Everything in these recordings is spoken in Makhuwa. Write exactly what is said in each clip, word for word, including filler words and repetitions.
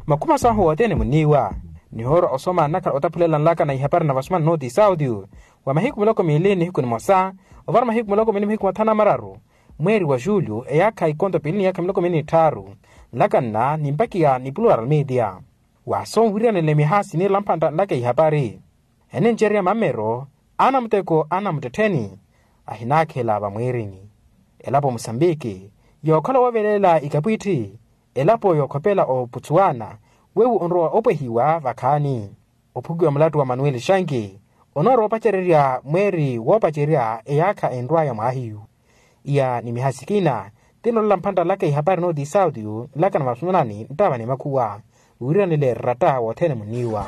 Makhuma sahu wothene muniiwa nihoorwa osoma nnakhala otaphulela nlaka na ihapari na vasumana nooti sauti wa mahiku miloko miili nihiku nimosa ovara mahiku miloko miili mihiku mathanu na mararu mweeri wa julho eyaakha ikonto piili ni yaakha miloko miili ni tthaaru. Nlaka nna nimpakiya ni plural media. Waaso onwiriyanele miha siniirela mphantta nlaka ihapari enencerya mammero anamuteko anamuttettheni ahinaakhela vamwiirini. Elapo musambiki yookhala wooveleela ikapwitthi elapo yookhopela oputsuwana weiwo onrowa opwehiwa vakhaani. Ophukiwa mulattu wa manuweli xanki onoorowa opacererya mweeri woopacerya eyaakha enrwaya mwaahiyu. Iya ni miha sikina tinnolela mphantta laka ihapari nooti sauti nlaka na masunani nttava ni makhuwa wiiranile ratta wothene muniiwa.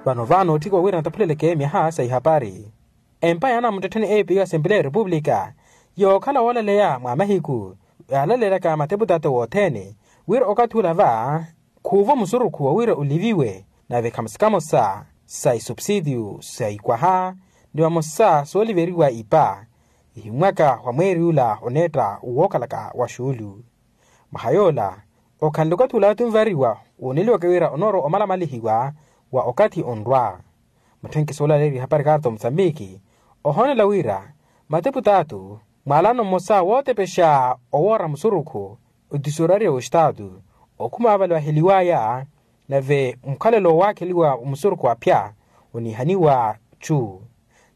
Vano vano otthikiwa wira nataphuleleke miha sa ihapari empa yaana muttettheni eyo piyo asempleya ya repupulika yookhala woolaleya mwa mahiku yaalaleryaka mateputato wothene wira okathi ula va khuuvo musurukhu wa wira oliviwe nave khamusi kamosa sa isupsitiyu sa ikwaha ni vamosa sooliveriwa ipa ihimwaka wa mweeri ula oneetta wookhalaka wa xuulu. Mwaha yoola okhanle okathi ula tunvariwa wooneliwaka wira onoorowa omalamalihiwa wa okathi onrwa. Mutthenkiso olaleeriwa ihapari kaarta omusambiki ohoonela wira mateputaatu mwaalano mmosa wootepexa owoora musurukhu otisorariya w'estaatu okhuma avale vaheliwaya nave mukhalelo owaakheliwa omusurukhu aphya oniihaniwa chu.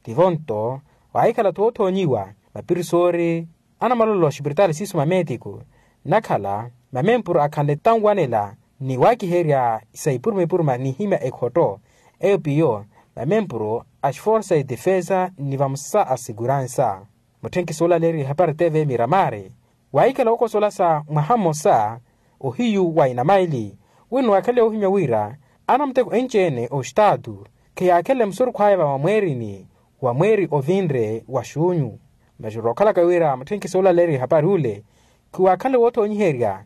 Tivo nto waahikhala-tho oothoonyiwa mapirisori anamalolo a xipiritaali siiso mameetiku nnakhala mamempuru akhanle tanwanela ni waakiherya sa ipuruma ipuruma n'ihimya ekhotto eyo piyo mamempuru a xiforsa ya defesa ni vamosa a seguransa. Mutthenkiso olaleeriwa ihapari teve miramari waahikhala ookosola sa mwaha mmosa ohiyu wa inamaili wino waakhale woohimya wira anamuteko enci-ene oxitaatu kheyaakhenle musurukhu aya vamweerini wa mweeri ovinre wa xuunyu. Masi rookhalaka wira mutthenkiso olaleeriwa ihapari ule khiwaakhanle woothoonyiherya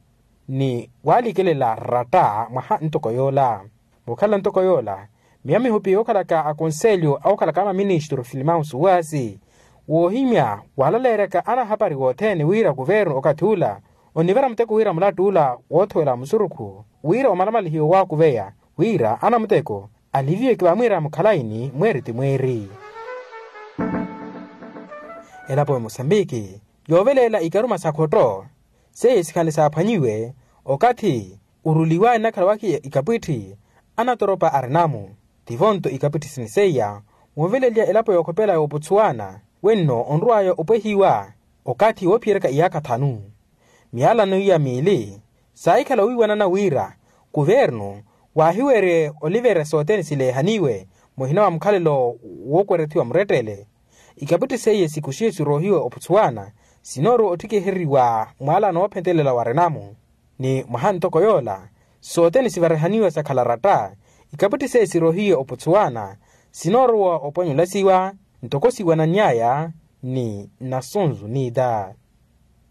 ni waalikelela ratta mwaha ntoko yoola. Mookhala ntoko yoola miyo mihupi yookhalaka akonselyo awokhalaka amaministru filimao suwaasi woohimya waalaleeryaka anahapari wothene wira kuvernu okathi ula onivara muteko wira mulattu ula woothowela musurukhu wira omalamalihiwe waakuveya wira anamuteko aliviweke vamwiira mukhalayi ni mweeri ti mweeri. Elapo ya musambiki yooveleela ikaruma sa khotto seiye sikhanle saaphwanyiwe okathi oruliwaya nnakhala wakhiya ikapwitthi anatoropa arinamu. Tivo-nto ikapwitthi sini seiya wooveleliya elapo yookhopela ya oputsuwana wenno onrwaya opwehiwa okathi woophiyeryaka iyaakha thanu. Miyalano iya miili saahikhala owiiwanana wira kuvernu waahiwerye oliverya sothene sileehaniwe muhina wa mukhalelo wookwerethiwa murettele. Ikapwitthi seiye sikuxiwe siroohiwe oputsuwana sinoorowa otthikihereriwa mwaalano woophentelela wa renamu ni mwaha ntoko yoola sothene sivarihaniwa sakhala ratta. Ikapwitthi seiye siroohiwe oputsuwana sinoorowa opwanyulasiwa ntoko siwanany'aya ni nasunzu nita.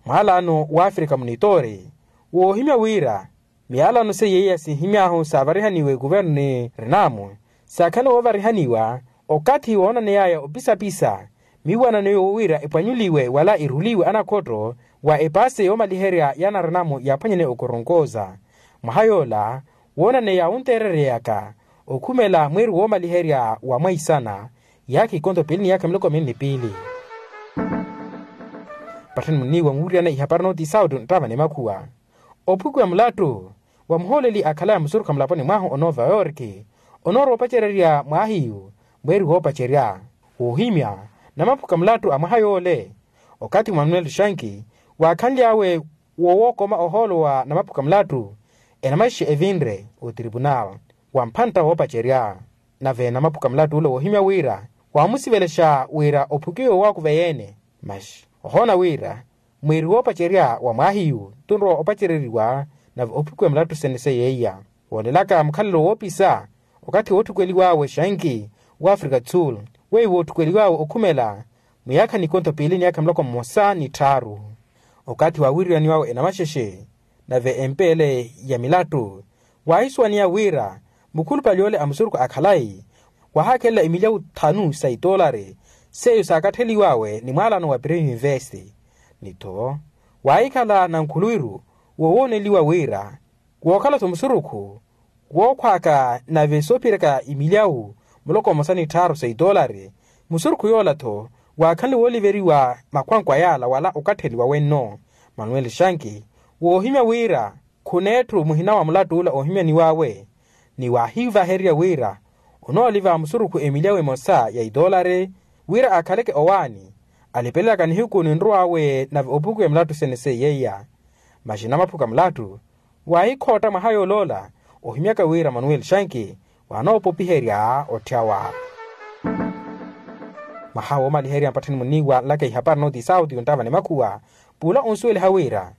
Mwaalano w'afrika munitoori woohimya wira miyalano seiye iya sihimy'ahu saavarihaniwe kuvernu ni renamu saakhala woovarihaniwa okathi woonaney'aya opisapisa miiwanano yoowo wira epwanyuliwe wala eruliwe anakhotto wa epaase yoomaliherya y'anarenamu yaaphwanyane okoronkoza. Mwaha yoola woonaneya wunteerereyaka okhumela mweeri woomaliherya wa mwaisana yaakha ikonto piili ni yaakha miloko miili ni piili. Patthani muniiwa nwuuriyana ihapari nooti sauti nttava ni makhuwa ophukiwa mulattu wa muhooleli akhalaya musurukha mulaponi mwahu o nova yorki onoorowa opacererya mwaahiyu mweeri woopacerya woohimya namaphuka mulattu a mwaha yoole. Okathi manuel shanki waakhanly'awe wowookoma ohoolo wa namaphuka mulattu enamaxexe evinre otripunal wa mphantta woopacerya nave namaphuka mulattu ole woohimya wira waamusivelexa wira ophukiwe owaakuveya-ene. Masi ohoona wira mwiiri woopacerya wa mwaahiyu tunrowa opacereriwa nave ophukiwa mulattu sene seiya iya woolelaka mukhalelo woopisa okathi wootthukweliw'awe xanki w'afrika do sul weiwo ootthukweliw'awe okhumela mwiyaakha nikontho piili ni yaakha miloko mmosa ni tthaaru. Okathi waawiriraniw'awe enamaxexe nave empeele ya milattu waahisuwaniya wira mukhulupale ole a musurukhu a khalayi waahakhelela imilyawu thanu sa itoolari seiyo saakattheliw'awe ni mwaalano wa premium invest ni-tho Waahikhala nankhuluwiru woowoneliwa wira wookhala-tho musurukhu wookhwaaka nave soophiraka imilyawu muloko mmosa ni tthaaru sa itoolari. Musurukhu yoola-tho waakhanle wooliveriwa makhwankwa yaala wala okattheliwa wenno. Manuel shanki woohimya wira khuneetthu muhina wa mulatt'ula oohimyaniw'awe ni waahivahererya wira onooliva musurukhu emilyawu emosa ya itoolari wira akhaleke owaani alipelelaka nihiku ni nrow'awe nave opukuwa emilattu sene seiyeiya. Masi namaphuka mulattu waahikhootta mwaha yooloola ohimyaka wira manuel shanki waanoopopiherya otthyawa. Mwaha woomaliherya mpatthani muniiwa nlaka ihapari nooti sauti yonttava ni makhuwa puula onsuweliha wira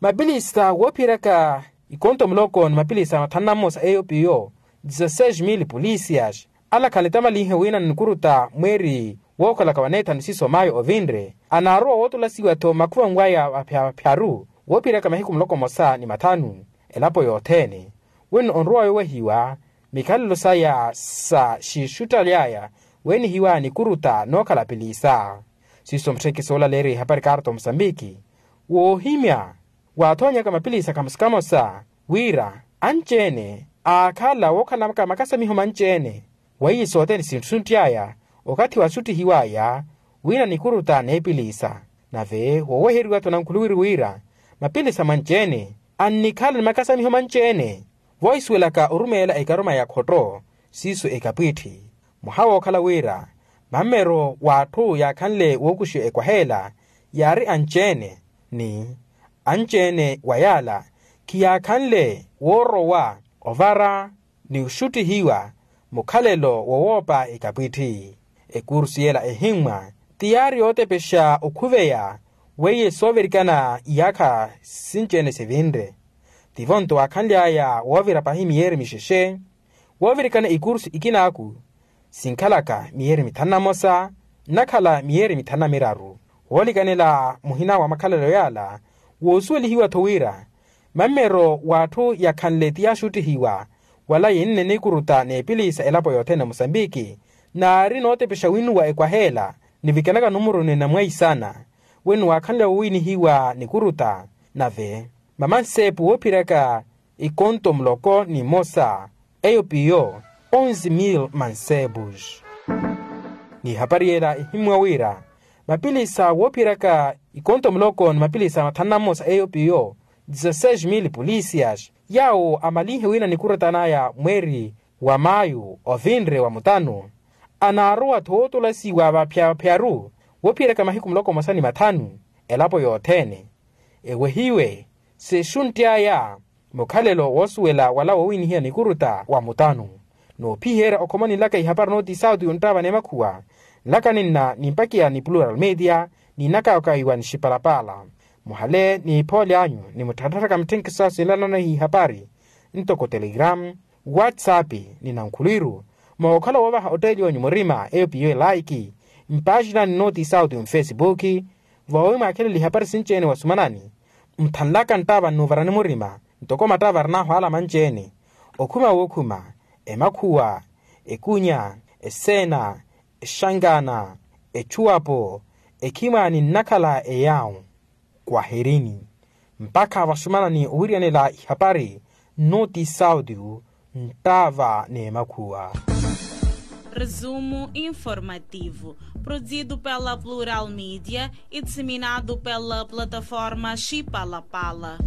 mapilisa woophiraka ikonto muloko ni mapilisa mathanu na mmosa eyo piyo disaseis mil polisias alakhanle tamalinhe wina nikuruta mweeri wookhalaka waneethanu siso mayo ovinre anaarowa wootolasiwa-tho makhuvanw'aya vaphyapyaru woophiraka mahiku muloko mmosa ni mathanu elapo yothene wino onrowa yoowehiwa mikhalelo saya sa xixuttaly'aya weenihiwa nikuruta nookhala pilisa. Siiso mutthekisi oolaleerya ihapari karto musambiki woohimya waathoonyaka mapilisa kamosa kamosa wira anci-ene aakhala wookhalaka makasamiho manci-ene weiye sothene sintthu sintthiy'aya okathi waxuttihiw'aya wina nikuruta n'epilisa. Nave wooweheriwa-tho nankhuluwiru wira mapilisa manci-ene annikhala ni makasamiho manci-ene voohisuwelaka orumeela ekaruma ya khotto siiso ekapwiitthi mwaha wookhala wira mammero w'atthu yaakhanle wookuxiwa ekwaha ela yaari anci-ene ni anci-ene wa yaala khiyaakhanle woorowa ovara ni oxuttihiwa mukhalelo wowoopa ekapwiitthi. Ekursu yela ehimmwa ti yaari yootepexa okhuveya weiye soovirikana iyaakha sinci-ene sivinre tivo-nto waakhanly'aya woovira pahi miyeeri mixexe woovirikana ikursu ikinaaku sinkhalaka miyeeri mithanu na mmosa nnakhala miyeeri mithanu na miraru woolikanela muhina wa makhalelo yaala woosuwelihiwa-tho wira mammero w'atthu yakhanle ti yaaxuttihiwa wala yenne nikuruta n'epilisa elapo yothene ya musambiki naari nootepexa winuwa ekwaha ela nivikanaka numuruni na mwaisana wino waakhanle woowinihiwa nikuruta nave mamansepu woophiraka ikonto muloko ni mmosa eyo piyo onze mil mansebus. N'ihapari yela ehimmwa wira mapilisa woophiraka ikonto muloko ni mapilisa mathanu na mmosa eyo piyo disaseis mil polisias yaawo amalinhe wina nikurutan'aya mweeri wa mayu ovinre wa mutanu anaarowa-tho wootolasiwa vaphyapyaru woophiyeraka mahiku muloko mmosa ni mathanu elapo yothene ewehiwe sexuntty'aya mukhalelo woosuwela wala woowinihiya nikuruta wa mutanu. Noophiherya okhomani nlaka ihapari nooti sauti yonttava n'emakhuwa nlaka ninna nimpakiya ni plural media ninakawakawiwa ni xipalapala muhale n'iphoole anyu ni mutthattharaka mutthenkiso asinlanano ihapari ntoko telegram whatsapp ni nankhulwiru mookhala woovaha otteeli onyu murima eyo piyo elaiki mpaxinani nooti sauti mfesipuki voowi mwaakhelele ihapari sinci-ene wasumanani muthanlaka nttava nnuuvarani murima ntoko mattava arin'ahu ala manci-ene okhuma wookhuma emakhuwa ekunya eseena exankaana echuwapo ekhimwaani nnakhala eyaawu kwaherini mpakha vasumanani owiriyanela ihapari nnooti sauti nttava n'emakhuwa. Resumo informativo, produzido pela Plural Media e disseminado pela plataforma Chipalapala.